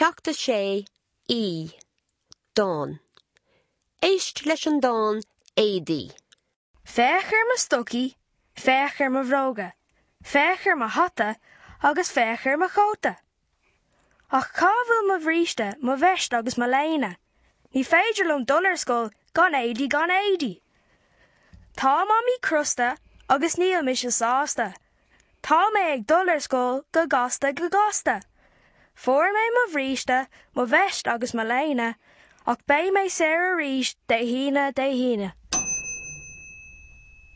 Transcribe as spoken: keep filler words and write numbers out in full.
Ceacht a sé E Dán. Éist leis an dán Éadaí. Féach ar mo stocaí, féach ar mo bhróga, féach ar mo hata agus féach ar mo chóta. Ach cá bhfuil mo bhríste, mo veist agus mo léine, Ní féidir liom dul ar scoil gan éadaí gan éadaí. Tá mamaí crosta agus níl mise sásta. Tá mé ag dul ar scoil go gasta go gasta. Fuair mé mo bhríste, mo veist agus mo léine, ach beidh mé saor arís Dé hAoine Dé hAoine.